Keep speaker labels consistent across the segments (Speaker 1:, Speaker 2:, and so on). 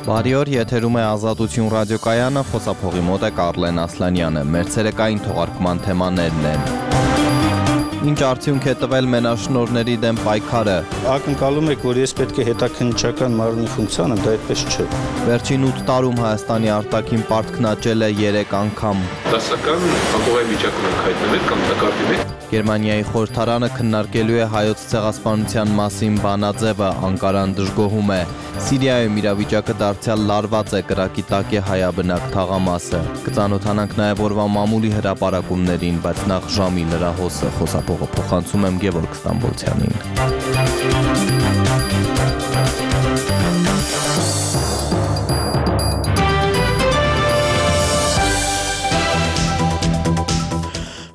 Speaker 1: Բարի օր, եթերում է Ազատություն ռադիոկայանը, խոսափողի մոտ է Կարլեն Ասլանյանը, մեր ցերեկային թողարկման թեմաներն են. Ինչ արդյունք է տվել մենաշնորհների դեմ պայքարը։
Speaker 2: Ակնկալում եք, որ ես պետք է հետաքննչական մարմնի ֆունկցիան եմ, դա այդպես չէ։
Speaker 1: Վերջին 8 տարում Հայաստանի արտաքին պարտքն աճել է 3 անգամ։
Speaker 3: Դասական անկողայի վիճակում ենք հայտնվել կամ տակառի մեջ։
Speaker 1: Գերմանիայի խորհրդարանը քննարկելու է հայոց ցեղասպանության մասին բանաձևը, Անկարան դժգոհում է։ Սիրիայում իրավիճակը դարձյալ լարված է, կրակի տակ է հայաբնակ թաղամասը։ Կծանոթանանք նաև օրվա մամուլի հրապարակումներին, բայց նախ ժամի լրահոսը, խոսափողը փոխանցում եմ Գևորգ Ստամբոլցյանին։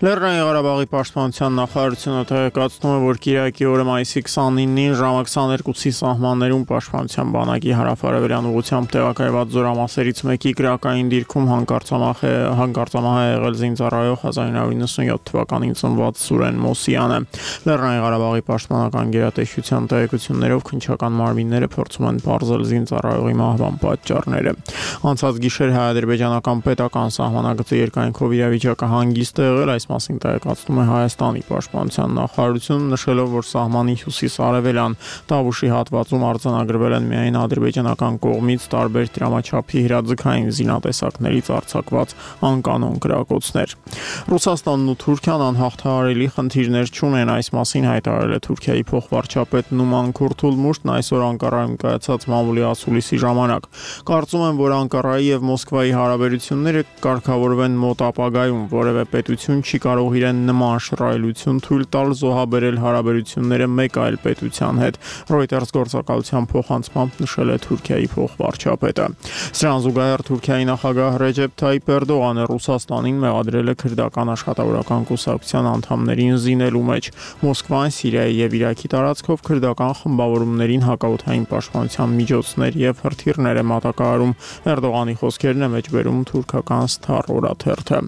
Speaker 4: Լեռնային Ղարաբաղի պաշտպանության նախարարությունը տեղեկացնում է, որ կիրակի օրը մայիսի 29-ին ժամը 22-ի սահմաններում պաշտպանության բանակի հարավարևելյան ուղղությամբ տեղակայված զորամասերից մեկի կրակային դիրքում հանկարծամահ է եղել զինծառայող 1997 թվականին ծնված Սուրեն Մոսյանը։ Լեռնային Ղարաբաղի պաշտպանական գերատեսչության տեղեկություններով քննչական մարմինները փորձում են պարզել զինծառայողի մահվան պատճառները։ Անցած գիշեր հայ-ադրբեջանական պետական սահմանագծի երկայնքով իրավիճակը հանգիստ է եղել, այս մասին տեղեկացնում է Հայաստանի պաշտպանության նախարարությունը, նշելով, որ սահմանի հյուսիս-արևելյան Տավուշի հատվածում արձանագրվել են միայն ադրբեջանական կողմից տարբեր դրամաչափի հրաձգային զինատեսակներից արձակված անկանոն կրակոցներ։ Ռուսաստանն ու Թուրքիան անհաղթահարելի խնդիրներ չունեն, այս մասին հայտարարել է Թուրքիայի փոխվարչապետ Նուման Քուրթուլմուշտն այսօր Անկարայում կայացած մամուլի ասուլիսի ժամանակ։ Կարծում եմ, որ Անկարայի եւ Մոսկվայի հարաբերությունները կարգավորվեն մոտ ապագայում, որևէ պետություն չի կարող իրեն նման շռայլություն թույլ տալ զոհաբերել հարաբերությունները մեկ այլ պետության հետ, Reuters գործակալության փոխանցմամբ նշել է Թուրքիայի փոխվարչապետը։ Սրան զուգահեռ Թուրքիայի նախագահ Ռեջեփ Թայիփ Էրդողանը Ռուսաստանին մեղադրել է քրդական աշխատավորական կուսակցության անդամներին զինելու մեջ։ Մոսկվան Սիրիայի եւ Իրաքի տարածքով քրդական խմբավորումներին հակաօդային պաշտպանության միջոցներ եւ հրթիռներ է մատակարարում։ Էրդողանի խոսքերն է մեջբերում թուրքական Star օրաթերթը։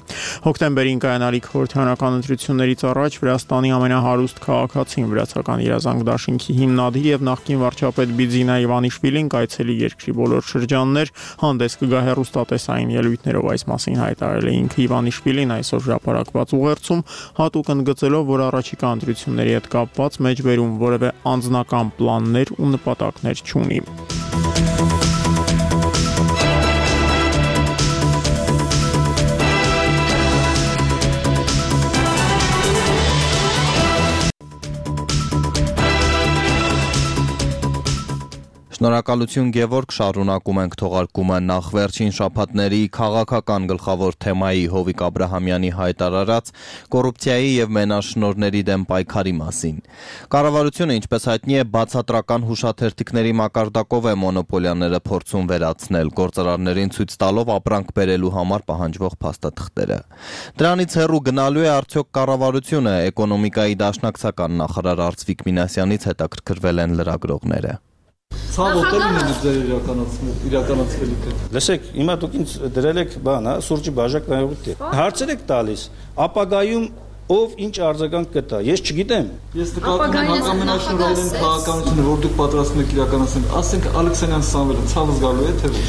Speaker 4: Հոկտեմբերին կայանալիք խորհրդարանական ընտրություններից առաջ Վրաստանի ամենահարուստ քաղաքացին վրացական իրազանգ դաշինքի հիմնադիր եւ նախկին վարչապետ Բիձինա Իվանիշվիլին կայցելի երկրի բոլոր շրջաններ, հանդես կգա հեռուստատեսային ելույթներով, այս մասին հայտարարել է ինքը Իվանիշվիլին այսօր հրապարակված ուղերձում, հատուկ ընդգծելով, որ առաջիկա ընտրությունների հետ կապված մեջբերում որևէ անձնական պլաններ ու նպատակներ չունի։
Speaker 1: Շնորհակալություն Գևորգ, շարունակում ենք թողարկումը նախ վերջին շաբաթների քաղաքական գլխավոր թեմայի Հովիկ Աբրահամյանի հայտարարած կոռուպցիայի եւ մենաշնորհների դեմ պայքարի մասին։ Կառավարությունը, ինչպես հայտնի է, բացատրական հուշաթերթիկների մակարդակով է մոնոպոլիաները փորձում վերացնել, գործարարներին ցույց տալով ապրանք բերելու համար պահանջվող փաստաթղթերը։ Դրանից հեռու գնալու է արդյոք կառավարությունը, էկոնոմիկայի դաշնակցական նախարար Արծվիկ Մինասյանից հետաքրքրվել են լրագրողները։
Speaker 5: Ցավոտ է ձեր իրականացվելիքը։
Speaker 2: Լսեք, հիմա դուք ինձ դրել եք բան, սուրճի բաժակ նայողի։ Հարցեր եք տալիս, ապագայում ով ինչ արձագանք կտա, ես չգիտեմ։
Speaker 5: Ես նկատում եմ հակամենաշնորհային քաղաքականությունը, որ դուք պատրաստվում եք իրականացնել, ասենք Ալեքսանյան Սամվելը ցավը զգալու է թե ոչ։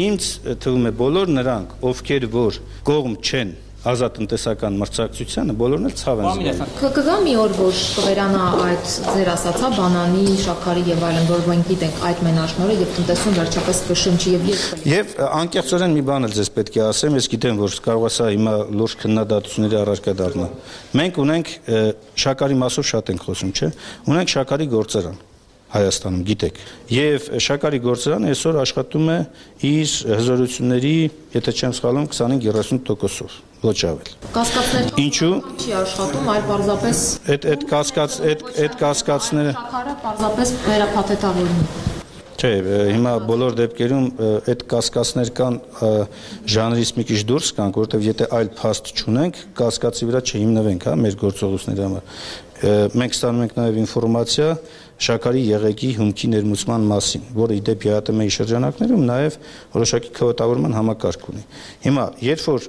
Speaker 2: Ինձ թվում է բոլոր նրանք, ովքեր որ կողմ չեն ազատ տնտեսական մրցակցությանը, բոլորն էլ ցավ են զգում։
Speaker 6: Կգա մի օր, որ կվերանա այդ ձեր ասացա բանանի, շաքարի եւ այլն, որ մենք գիտենք այդ մենաշնորհը եւ տնտեսում վերջապես կշնչի եւ երբ։
Speaker 2: Եվ անկեղծորեն մի բան էլ ձեզ պետք է ասեմ, ես գիտեմ, որ կարող է սա հիմա լուրջ քննադատությունների առարկա դառնա։ Մենք ունենք շաքարի մասով շատ ենք խոսում, չէ՞։ Ունենք շաքարի գործարան Հայաստանում, գիտեք։ Եվ շաքարի գործարանը այսօր աշխատում է իր հզորությունների, եթե չեմ սխալվում, 25-30%-ով, ոչ ավել։
Speaker 6: Կասկածներ
Speaker 2: Ինչու՞
Speaker 6: չի աշխատում, այլ պարզապես
Speaker 2: այդ կասկածները
Speaker 6: շաքարը պարզապես վերափաթեթավորվում։
Speaker 2: Չէ, հիմա բոլոր դեպքերում այդ կասկածներ կան ժանրից մի քիչ դուրս կանք, որովհետև եթե այլ փաստ չունենք, կասկածի վրա չհիմնվենք, հա, մեր գործողությունների համար։ Մենք ստանում ենք նաև ինֆորմացիա շաքարի եղեգի հումքի ներմուծման մասին, որը ի դեպ ԵԱՏՄ-ի շրջանակներում նաև որոշակի քվոտավորման համակարգ ունի։ Հիմա, երբ որ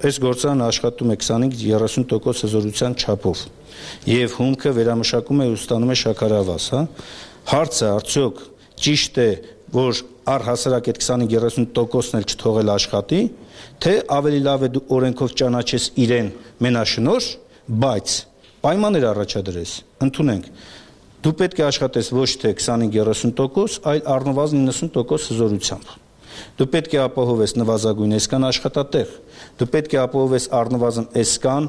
Speaker 2: այս գործարանը աշխատում է 25-30% հզորության չափով եւ հումքը վերամշակում է ու ստանում է շաքարավազ, հա, հարցը արդյոք ճիշտ է որ առհասարակ այդ 25-30%-ն էլ չթողել աշխատի, թե ավելի լավ է դու օրենքով ճանաչես իրեն մենաշնորհ, բայց պայմաններ առաջադրես, ընդունենք, դու պետք է աշխատես ոչ թե 25-30%, այլ առնվազն 90% հզորությամբ։ Դու պետք է ապահովես նվազագույն այսքան աշխատատեղ, դու պետք է ապահովես առնվազն այսքան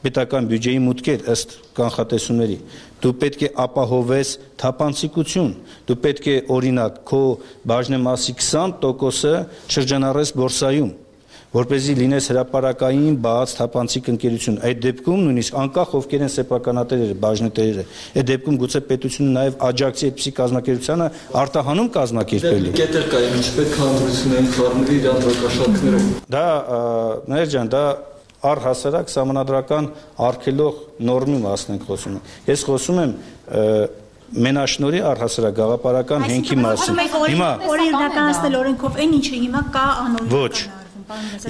Speaker 2: պետական բյուջեի մուտքեր ըստ կանխատեսումների, դու պետք է ապահովես թափանցիկություն, դու պետք է օրինակ քո բաժնեմասի 20%-ը շրջանառես բորսայում, որպեսզի լինես հրապարակային բաց թափանցիկ ընկերություն։ Այդ դեպքում նույնիսկ անկախ ովքեր են սեփականատերերը, բաժնետերերը, այդ դեպքում գուցե պետությունը նաև աջակցի այդպիսի կազմակերպությանը արտահանում կազմակերպելի։
Speaker 5: Կետեր կա, ինչ պետք է ընդրությունային խառնվի իր անդրակաշարքներով։
Speaker 2: Դա Մհեր ջան, դա առհասարակ սահմանադրական արգելող նորմի մասն ենք խոսում։ Ես խոսում եմ մենաշնորհի առհասարակ գաղափարական հենքի մասին։ Հիմա
Speaker 7: օրինականացնել օրենքով այն ինչը հիմա կա անոնիմ։
Speaker 2: Ոչ։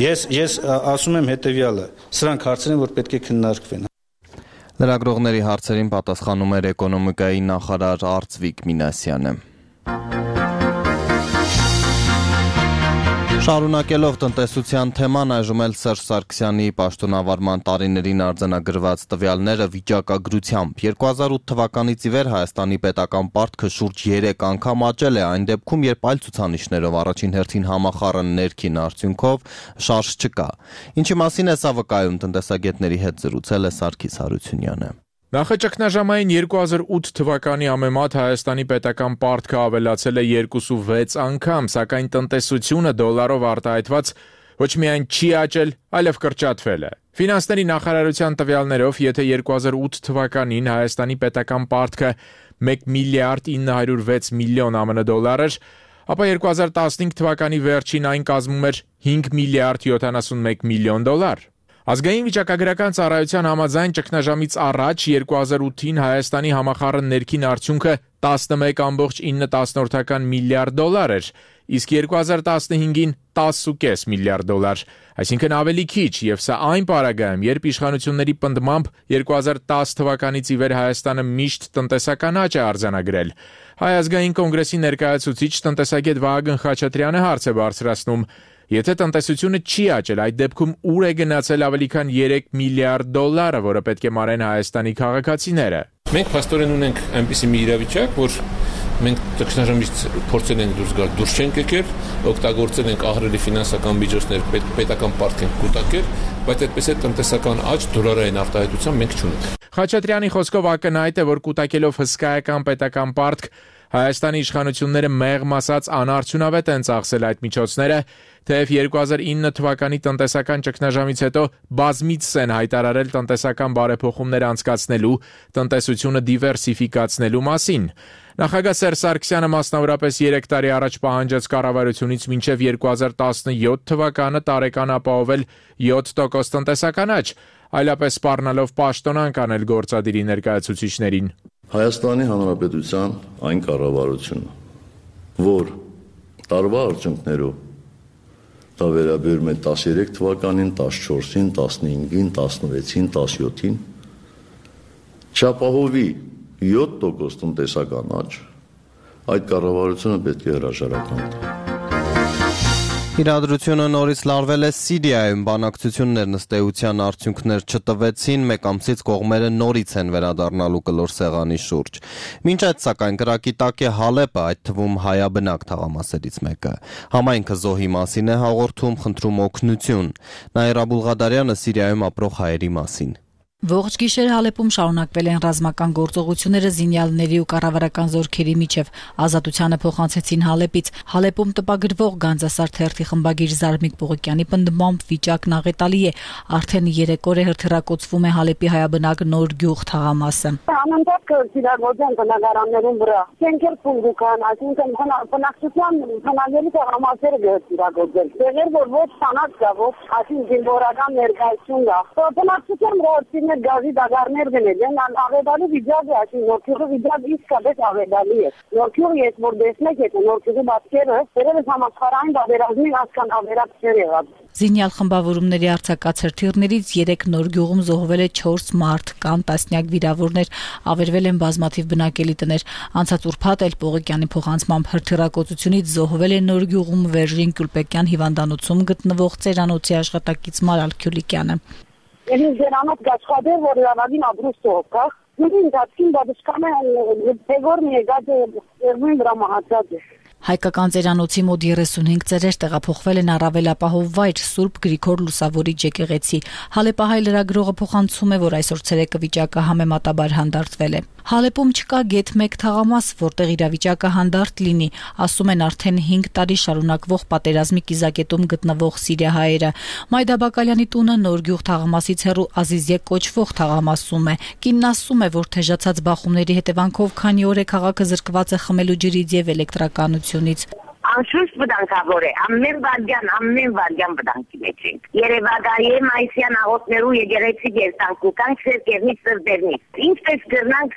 Speaker 2: Ես ասում եմ հետևյալը, սրանք հարցեր են, որ պետք է քննարկվեն։
Speaker 1: Լրագրողների հարցերին պատասխանում էր էկոնոմիկայի նախարար Արծվիկ Մինասյանը։ Շարունակելով տնտեսության թեման, այժմ էլ Սերժ Սարգսյանի պաշտոնավարման տարիներին արձանագրված տվյալները վիճակագրությամբ 2008 թվականից ի վեր Հայաստանի պետական պարտքը շուրջ 3 անգամ աճել է, այն դեպքում, երբ այլ ցուցանիշներով առաջին հերթին համախառն ներքին արդյունքով շարժ չկա։ Ինչի մասին է սա վկայում, տնտեսագետների հետ զրուցել է Սարգիս Հարությունյանը։
Speaker 8: Նախաճգնաժամային 2008 թվականի համեմատ Հայաստանի պետական պարտքը ավելացել է 2.6 անգամ, սակայն տնտեսությունը դոլարով արտահայտված ոչ միայն չի աճել, այլև կրճատվել է։ Ֆինանսների նախարարության տվյալներով, եթե 2008 թվականին Հայաստանի պետական պարտքը 1 միլիարդ 906 միլիոն ԱՄՆ դոլար էր, ապա 2015 թվականի վերջին այն կազմում էր 5 միլիարդ 71 միլիոն դոլար։ Ազգային վիճակագրական ծառայության համաձայն ճգնաժամից առաջ 2008-ին Հայաստանի համախառն ներքին արդյունքը 11.9 միլիարդ դոլար էր, իսկ 2015-ին 10.5 միլիարդ դոլար, այսինքն ավելի քիչ, եւ սա այն պարագայում, երբ իշխանությունների պնդմամբ 2010 թվականից ի վեր Հայաստանը միշտ տնտեսական աճ է արձանագրել։ Հայ ազգային կոնգրեսի ներկայացուցիչ տնտեսագետ Վահագն Խաչատրյանը հարց է բարձրացնում. Եթե տնտեսությունը չի աճել, այդ դեպքում ուր է գնացել ավելի քան 3 միլիարդ դոլարը, որը պետք է մարեն Հայաստանի քաղաքացիները։
Speaker 3: Մենք փաստորեն ունենք այնպիսի մի իրավիճակ, որ մենք ճգնաժամից փորձել ենք դուրս գալ, դուրս չենք եկել, օգտագործել ենք ահռելի ֆինանսական միջոցներ, պետական պարտք ենք կուտակել, բայց այդպես է տնտեսական աճ դոլարային արտահայտության մենք չունենք։
Speaker 8: Խաչատրյանի խոսքով ակնհայտ է, որ կուտակելով հսկայական պետական պարտք Հայաստանի իշխանությունները մեղմ ասած անարդյունավետ են ծախսել այդ միջոցները, թեև 2009 թվականի տնտեսական ճգնաժամից հետո բազմիցս են հայտարարել տնտեսական բարեփոխումներ անցկացնելու, տնտեսությունը դիվերսիֆիկացնելու մասին։ Նախագահ Սերժ Սարգսյանը մասնավորապես 3 տարի առաջ պահանջեց կառավարությունից մինչև 2017 թվականը տարեկան ապահովել 7% տնտեսական աճ, այլապես սպառնալով պաշտոնանկ անել գործադիրի ներկայացուցիչներին։
Speaker 9: Հայաստանի Հանրապետության այն կառավարությունը, որ տարվա արդյունքներով դա վերաբերում է 13 թվականին, 14-ին, 15-ին, 16-ին, 17-ին, չապահովի 7% տնտեսական աճ, այդ կառավարությունը պետք է հրաժարական տա։
Speaker 1: Իրադրությունը նորից լարվել է Սիրիայում, բանակցություններն ըստ էության արդյունքներ չտվեցին, մեկ ամսից կողմերը նորից են վերադառնալու կլոր սեղանի շուրջ։ Մինչ այդ սակայն կրակի տակ է Հալեպը, այդ թվում հայաբնակ թաղամասերից մեկը։ Համայնքը զոհի մասին է հաղորդում, խնդրում օգնություն։ Նաիրա Բուլղադարյանը Սիրիայում ապրող հայերի մասին։
Speaker 10: Ողջ գիշեր Հալեպում շարունակվել են ռազմական գործողությունները զինյալների ու կառավարական զորքերի միջև։ Ազատությանը փոխանցեցին Հալեպից։ Հալեպում տպագրվող Գանձասար թերթի խմբագիր Զարմիկ Պողոկյանի պնդմամբ վիճակն աղետալի է։ Արդեն 3 օր է հրթիռակոծվում է Հալեպի հայաբնակ Նոր գյուղ թաղամասը։
Speaker 11: Անընդհատ կիրագործեն բնակարաններում վրա։ Շենքեր փնջուկան, այսինքն բնակչության հնագելի թաղամասերը կիրագործեն։ Դեռ որ ոչ սանած կա, ոչ այսինքն զինվորական ներկայություն կա։ Բնակչության ռոհտին մեր գազի դագարներ գնել են, ավետալի վիճակ է, այսինքն նորքյուղի վիճակ իսկապես ավետալի է։ Նորքյուղը ես որ տեսնեք, եթե նորքյուղի բացքերը, դերևս համաշխարհային բادرազմի հասկան ավերակցներ եղած։
Speaker 10: Զինյալ խմբավորումների արձակացր թիրներից 3 նոր գյուղում զոհվել է 4 մարդ, կան տասնյակ վիրավորներ, ավերվել են բազմաթիվ բնակելի տներ։ Անցած ուրբաթ էլ Պողոկյանի փոխանցմամբ հրթիռակոծությունից զոհվել է նոր գյուղում Վերժին Գյուլպեկյան հիվանդանոցում գտնվող ծերանոցի աշխատակից Մարալ Քյուլիկյանը։
Speaker 11: Ես դրանով աշխատել, որ լավագին աբրուստով կա։ Դու ինձ բադշկամը դեգոր մի եկած երբին դրա մահացած է։
Speaker 10: Հայկական ծերանոցի մոտ 35 ծերեր տեղափոխվել են առավել ապահով վայր Սուրբ Գրիգոր Լուսավորիչ եկեղեցի։ Հալեպահայ լրագրողը փոխանցում է, որ այսօր ցերեկը վիճակը համեմատաբար հանդարտվել է։ Հալեպում չկա գեթ 1 թաղամաս, որտեղ իրավիճակը հանդարտ լինի, ասում են արդեն 5 տարի շարունակվող պատերազմի կիզակետում գտնվող սիրիահայերը։ Մայդա Բակալյանի տունը նոր գյուղ թաղամասից հեռու Ազիզյե կոչվող թաղամասում է։ Կինն ասում է, որ թեժացած բախումների հետևանքով քանի օր է քաղաքը զրկված է խմելու ջրից եւ էլեկտրականությունից։
Speaker 12: Անշուշտ վտանգավոր է, ամեն վարդյան վտանգի մեջ ենք։ Երևակայի մայիսյան աղոթներու եկեղեցի երտանք ու կանք սերկերնից սրբերնից։ Ինչպես կրնանք,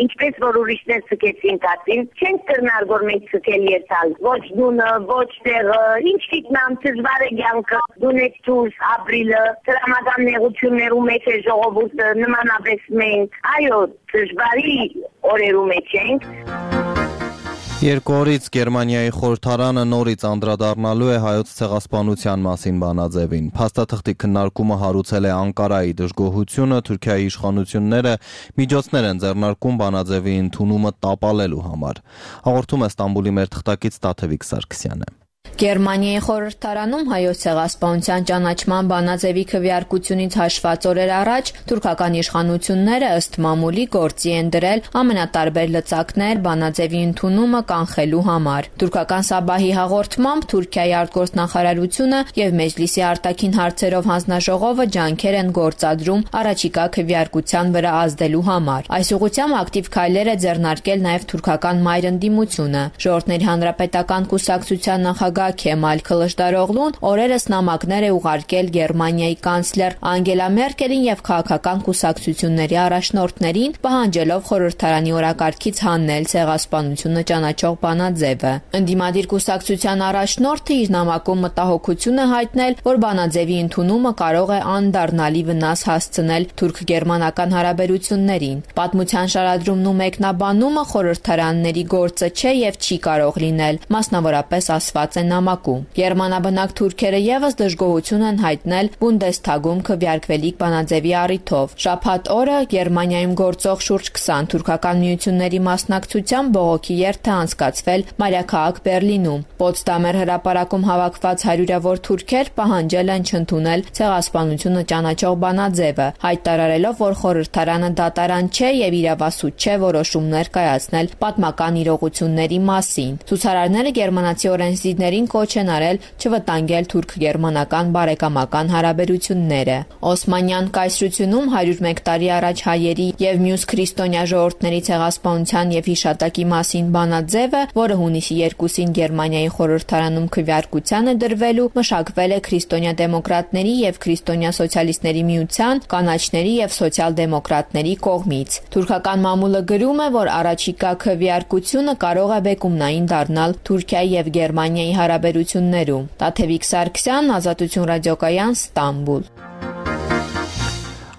Speaker 12: ինչպես որ ուրիշներ ցկեցին կացին, չենք կրնար որ մենք ցկել երթալ։ Ոչ դունը, ոչ տեղը, ինչ գիտնամ դժվար է կյանքը, դունեց դուրս ապրիլը, տրամական նեղություններու մեջ է ժողովուրդը, նմանապես մենք, այո, դժվարի օրերու մեջ ենք։
Speaker 1: Երկու օրից Գերմանիայի խորհրդարանը նորից անդրադառնալու է հայոց ցեղասպանության մասին բանաձևին։ Փաստաթղթի քննարկումը հարուցել է Անկարայի դժգոհությունը, Թուրքիայի իշխանությունները միջոցներ են ձեռնարկում բանաձևի ընդունումը տապալելու համար։ Հաղորդում է Ստամբուլի մեր թղթակից Տաթևիկ Սարգսյանը։
Speaker 13: Գերմանիայի խորհրդարանում հայոց ցեղասպանության ճանաչման բանաձևի քվեարկությունից հաշված օրեր առաջ թուրքական իշխանությունները ըստ մամուլի գործի են դրել ամենատարբեր լծակներ բանաձևի ընդունումը կանխելու համար։ Թուրքական Սաբահի հաղորդմամբ Թուրքիայի արտգործնախարարությունը եւ Մեջլիսի արտաքին հարցերով հանձնաժողովը ջանքեր են գործադրում առաջիկա քվեարկության վրա ազդելու համար։ Այս ուղղությամբ ակտիվ քայլեր է ձեռնարկել նաեւ թուրքական մայրընդիմությունը։ Ժողովրդների հանրապետական կուսակցության նախագահ Քեմալ Քլշդարօղլուն օրերս նամակներ է ուղարկել Գերմանիայի կանցլեր Անգելա Մերկելին եւ քաղաքական կուսակցությունների առաջնորդներին, պահանջելով խորհրդարանի օրակարգից հանել ցեղասպանությունը ճանաչող բանաձևը։ Ընդդիմադիր կուսակցության առաջնորդը իր նամակում մտահոգություն է հայտնել, որ բանաձևի ընդունումը կարող է անդառնալի վնաս հասցնել թուրք-գերմանական հարաբերություններին։ Պատմության շարադրումն ու մեկնաբանումը խորհրդարանների գործը չէ եւ չի կարող լինել, մասնավորապես ասված է նամակում։ Գերմանաբնակ թուրքերը եւս դժգոհություն են հայտնել Բունդեսթագում քվեարկվելիք բանաձևի առիթով։ Շաբաթ օրը Գերմանիայում գործող շուրջ 20 թուրքական միությունների մասնակցությամբ բողոքի երթ է անցկացվել մայրաքաղաք Բերլինում։ Պոտսդամեր հրապարակում հավաքված հարյուրավոր թուրքեր պահանջել են չընդունել ցեղասպանությունը ճանաչող բանաձևը, հայտարարելով, որ խորհրդարանը դատարան չէ եւ իրավասու չէ որոշումներ կայացնել պատմական իրողությունների մասին։ Ցուցարարները գերմանացի օրենսդիրներին կոչ են արել չվտանգել թուրք-գերմանական բարեկամական հարաբերությունները։ Օսմանյան կայսրությունում 101 տարի առաջ հայերի եւ մյուս քրիստոնյա ժողովուրդների ցեղասպանության եւ հիշատակի մասին բանաձևը, որը հունիսի 2-ին Գերմանիայի խորհրդարանում քվեարկության է դրվելու, մշակվել է քրիստոնյա դեմոկրատների եւ քրիստոնյա սոցիալիստների միության, կանաչների եւ սոցիալ-դեմոկրատների կողմից։ Թուրքական մամուլը գրում է, որ առաջիկա քվեարկությունը կարող է բեկումնային դառնալ Թուրքիայի եւ Գերմանիայի հարաբերություններում։ Տաթևիկ Սարգսյան, Ազատություն ռադիոկայան, Ստամբուլ։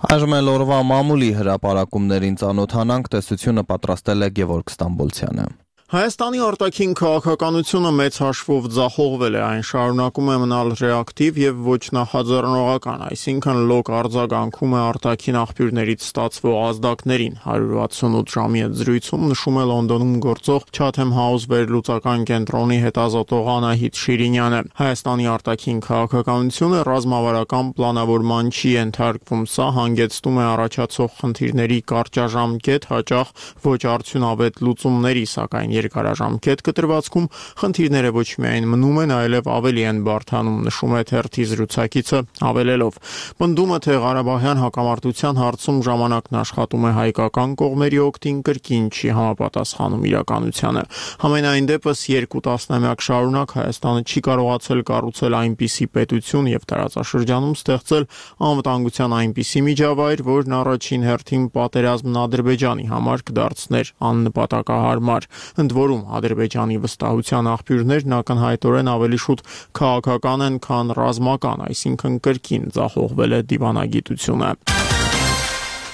Speaker 1: Այժմ էլ օրվա մամուլի հրապարակումներին ծանոթանանք, տեսությունը պատրաստել է Գևորգ Ստամբոլցյանը։
Speaker 4: Հայաստանի արտաքին քաղաքականությունը մեծ հաշվով ձախողվել է, այն շարունակում է մնալ ռեակտիվ եւ ոչ նախաձեռնողական, այսինքն լոկ արձագանքում է արտաքին աղբյուրներից ստացվող ազդակներին։ 168 ժամի այդ զրույցում նշում է Լոնդոնում գործող Chatham House վերլուծական կենտրոնի հետազոտող Անահիտ Շիրինյանը։ Հայաստանի արտաքին քաղաքականությունը ռազմավարական պլանավորման չի ենթարկվում, սա հանգեցնում է առաջացող խնդիրների կարճաժամկետ, հաճախ ոչ արդյունավետ լուծումների, սակայն երկարաժամկետ կտրվածքում խնդիրները ոչ միայն մնում են, այլև ավելի են բարդանում, նշում է թերթի զրուցակիցը, ավելելով. Պնդումը, թե Ղարաբաղյան հակամարտության հարցում ժամանակն աշխատում է հայկական կողմերի օգտին, կրկին չի համապատասխանում իրականությանը։ Համենայն դեպս 2 տասնամյակ շարունակ Հայաստանը չի կարողացել կառուցել այնպիսի պետություն եւ տարածաշրջանում ստեղծել անվտանգության այնպիսի միջավայր, որն առաջին հերթին պատերազմն Ադրբեջանի համար կդարձներ աննպատակահարմար։ Ընդ որում Ադրբեջանի վստահության աղբյուրներն ակնհայտորեն ավելի շուտ քաղաքական են, քան ռազմական, այսինքն կրկին ձախողվել է դիվանագիտությունը։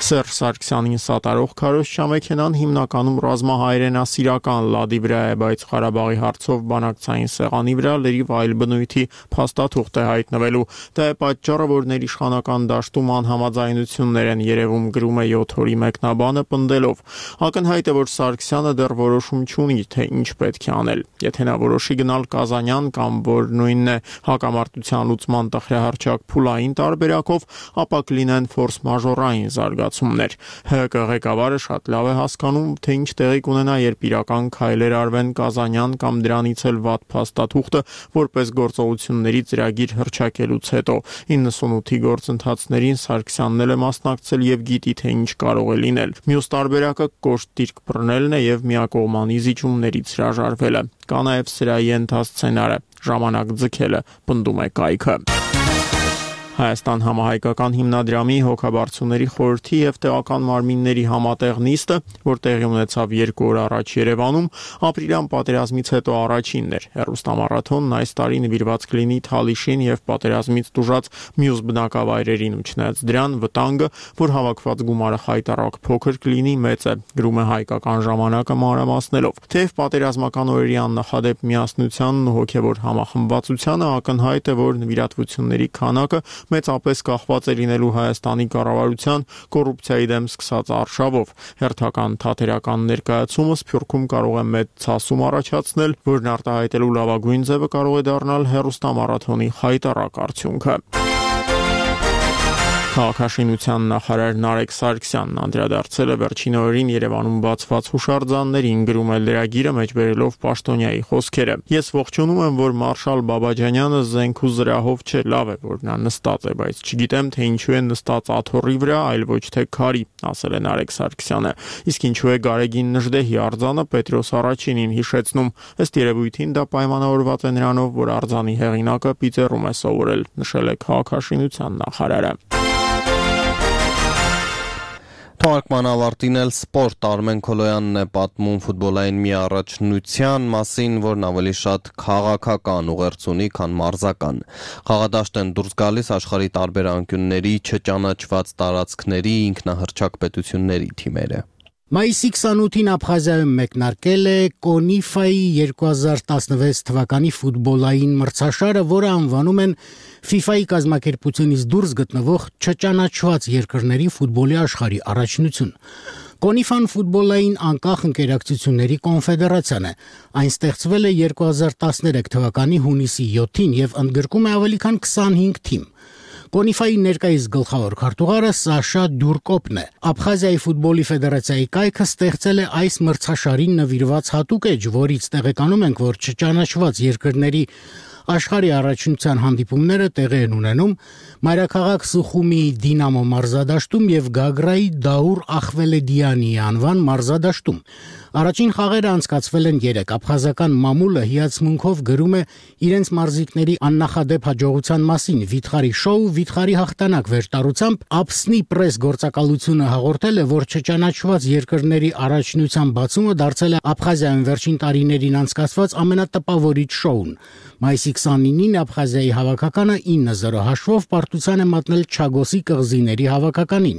Speaker 4: Սերժ Սարգսյանին սատարող քարոզչամեքենան հիմնականում ռազմահայրենասիրական լադի վրա է, բայց Ղարաբաղի հարցով բանակցային սեղանի վրա լրիվ այլ բնույթի փաստաթուղթ է հայտնվելու։ Դա է պատճառը, որ ներիշխանական դաշտում անհամաձայնություններ են երևում, գրում է 7 օրի մեկնաբանը, պնդելով. Ակնհայտ է, որ Սարգսյանը դեռ որոշում չունի, թե ինչ պետք է անել։ Եթե նա որոշի գնալ Կազանյան կամ որ նույնն է հակամարտության լուծման տխրահարճակ փուլային տարբերակով, ապա կլինեն ֆորս-մաժորային զարգացումներ։ ՀԿ ղեկավարը շատ լավ է հասկանում, թե ինչ տեղի կունենա, երբ իրական քայլեր արվեն Կազանյան կամ դրանից էլ վատ փաստաթուղթը որպես գործողությունների ծրագիր հռչակելուց հետո։ 98-ի գործընթացներին Սարգսյանն էլ է մասնակցել եւ գիտի, թե ինչ կարող է լինել։ Մյուս տարբերակը կոշտ դիրք բռնելն է եւ միակողմանի զիջումներից հրաժարվելը։ Կա նաեւ սրայի ենթասցենարը, ժամանակ ձգելը, պնդում է կայքը։ Հայաստան համահայկական հիմնադրամի հոգաբարձուների խորհրդի եւ տեղական մարմինների համատեղ նիստը, որ տեղի ունեցավ 2 օր առաջ Երևանում, ապրիլյան պատերազմից հետո առաջինն էր։ Հեռուստամարաթոնն այս տարի նվիրված կլինի Թալիշին եւ պատերազմից տուժած մյուս բնակավայրերին ու չնայած դրան վտանգը, որ հավաքված գումարը խայտառակ փոքր կլինի, մեծ է, գրում է Հայկական ժամանակը մանրամասնելով։ Թեև պատերազմական օրերի աննախադեպ միասնությանն ու հոգեվոր համախմբվածությանը ակնհայտ է, որ նվիրատվությունների քանակը մեծապես կախված է լինելու Հայաստանի կառավարության կոռուպցիայի դեմ սկսած արշավով։ Հերթական թատերական ներկայացումը Սփյուռքում կարող է մեծ ցասում առաջացնել, որն արտահայտելու լավագույն ձևը կարող է դառնալ հեռուստամարաթոնի խայտառակ արդյունքը։ Քաղաքաշինության նախարար Նարեկ Սարգսյանն անդրադարձել է վերջին օրերին Երևանում բացված հուշարձաններին, գրում է լրագիրը մեջբերելով Պաշտոնյայի խոսքերը։ Ես ողջունում եմ, որ մարշալ Բաբաջանյանը զենք ու զրահով չէ, լավ է, որ նա նստած է, բայց չգիտեմ, թե ինչու է նստած աթոռի վրա, այլ ոչ թե քարի, ասել է Նարեկ Սարգսյանը։ Իսկ ինչու է Գարեգին Նժդեհի արձանը Պետրոս Առաջինին հիշեցնում։ Ըստ երևույթին դա պայմանավորված է նրանով, որ արձանի հեղինակը պիծերում է սովորել, նշել է քաղաքաշինության նախարարը։
Speaker 1: Թողարկման ավարտին էլ սպորտ Արմեն Քոլոյանն է պատմում ֆուտբոլային մի առաջնության մասին, որն ավելի շատ քաղաքական ուղերձ ունի, քան մարզական։ Խաղադաշտ են դուրս գալիս աշխարհի տարբեր անկյունների չճանաչված տարածքների ինքնահռչակ պետությունների թիմերը։
Speaker 14: Մայիսի 28-ին Աբխազիայում մեկնարկել է Կոնիֆայի 2016 թվականի ֆուտբոլային մրցաշարը, որը անվանում են FIFA-ի կազմակերպությունից դուրս գտնվող չճանաչված երկրների ֆուտբոլի աշխարհի առաջնություն։ Կոնիֆան ֆուտբոլային անկախ ընկերակցությունների կոնֆեդերացիան է։ Այն ստեղծվել է 2013 թվականի հունիսի 7-ին եւ ընդգրկում է ավելի քան 25 թիմ։ Կոնիֆայի ներկայիս գլխավոր քարտուղարը Սաշա Դյուրկոպն է։ Աբխազիայի ֆուտբոլի ֆեդերացիայի կայքը ստեղծել է այս մրցաշարին նվիրված հատուկ էջ, որից տեղեկանում ենք, որ չճանաչված երկրների աշխարհի առաջնության հանդիպումները տեղի են ունենում մայրաքաղաք Սուխումիի Դինամո մարզադաշտում եւ Գագրայի Դաուր Ախվելեդյանի անվան մարզադաշտում։ Առաջին խաղերը անցկացվել են 3։ Աբխազական մամուլը հիացմունքով գրում է իրենց մարզիկների աննախադեպ հաջողության մասին։ Վիթխարի շոու, վիթխարի հաղթանակ վերտարությամբ Աբսնի պրես գործակալությունը հաղորդել է, որ չճանաչված երկրների առաջնության բացումը դարձել է Աբխազիայում վերջին տարիներին անցկացված ամենատպավորիչ շոուն։ Մայիսի 29-ին Աբխազիայի հավաքականը 9-0 հաշվով պարտության է մատնել Չագոսի կղզիների հավաքականին։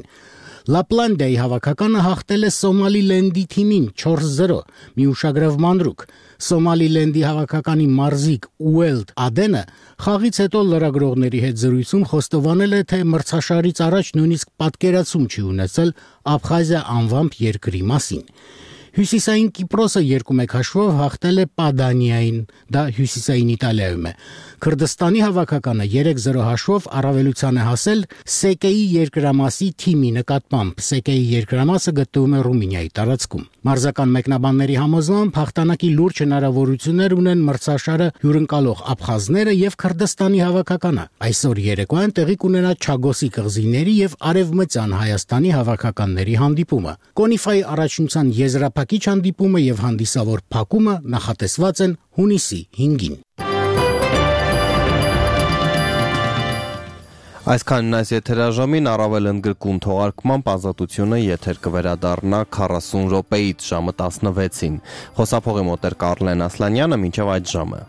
Speaker 14: Լապլանդիայի հավաքականը հաղթել է Սոմալիլենդի թիմին 4-0, մի ուշագրավ մանրուք։ Սոմալիլենդի հավաքականի մարզիկ Ուելդ Ադենը խաղից հետո լրագրողների հետ զրույցում խոստովանել է, թե մրցաշարից առաջ նույնիսկ պատկերացում չի ունեցել Աբխազիա անվամբ երկրի մասին։ Հյուսիսային Կիպրոսը 2-1 հաշվով հաղթել է Պադանիային, դա հյուսիսային Իտալիայում է։ Քրդստանի հավաքականը 3-0 հաշվով առավելության է հասել Սեկեի երկրամասի թիմի նկատմամբ։ Սեկեի երկրամասը գտնվում է Ռումինիայի տարածքում։ Մարզական մեկնաբանների համոզմամբ հաղթանակի լուրջ հնարավորություններ ունեն մրցաշարը հյուրընկալող աբխազները եւ Քրդստանի հավաքականը։ Այսօր երեկոյան տեղի կունենա Չագոսի կղզիների եւ Արևմտյան Հայաստանի հավաքականների հանդիպումը։ Կոնիֆայի առաջնության եզրափակիչ հանդիպումը եւ հանդիսավոր փակումը նախատեսված են հունիսի 5-ին։
Speaker 1: Այսքանն այս եթերաժամին առավել ընդգրկուն թողարկմամբ Ազատությունը եթեր կվերադառնա 40 րոպեից ժամը 16-ին։ Խոսափողի մոտ էր Կարլեն Ասլանյանը, մինչև այդ ժամը։